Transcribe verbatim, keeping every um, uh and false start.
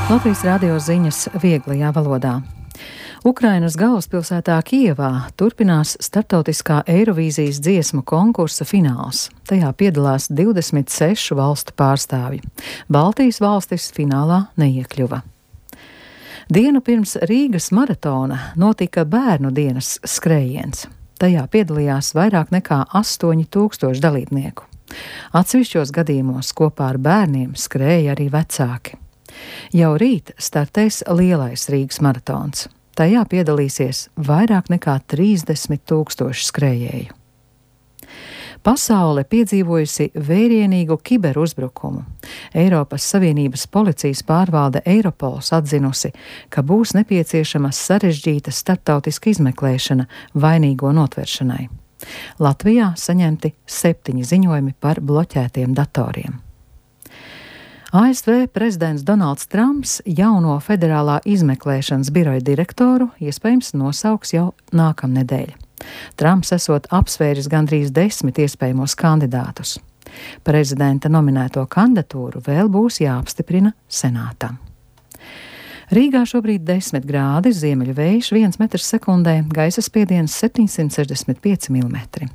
Latvijas radio ziņas vieglajā valodā. Ukrainas galvaspilsētā Kijevā turpinās starptautiskā Eirovīzijas dziesmu konkursa fināls. Tajā piedalās divdesmit sešu valstu pārstāvji. Baltijas valstis finālā neiekļuva. Dienu pirms Rīgas maratona notika bērnu dienas skrējiens. Tajā piedalījās vairāk nekā astoņi tūkstoši dalībnieku. Atsevišķos gadījumos kopā ar bērniem skrēja arī vecāki. Jau rīt startēs lielais Rīgas maratons. Tajā piedalīsies vairāk nekā trīsdesmit tūkstoši skrējēju. Pasaule piedzīvojusi vērienīgu kiberuzbrukumu. Eiropas Savienības policijas pārvalde Eiropols atzinusi, ka būs nepieciešama sarežģīta starptautiska izmeklēšana vainīgo notveršanai. Latvijā saņemti septiņi ziņojumi par bloķētiem datoriem. A S V prezidents Donalds Trumps jauno federālā izmeklēšanas biroja direktoru iespējams nosauks jau nākamnedēļ. Trumps esot apsvēris gandrīz desmit iespējamos kandidātus. Prezidenta nominēto kandidatūru vēl būs jāapstiprina senātam. Rīgā šobrīd desmit grādi, ziemeļu vējš viens metrs sekundē, gaisa spiediens septiņsimt sešdesmit pieci milimetri.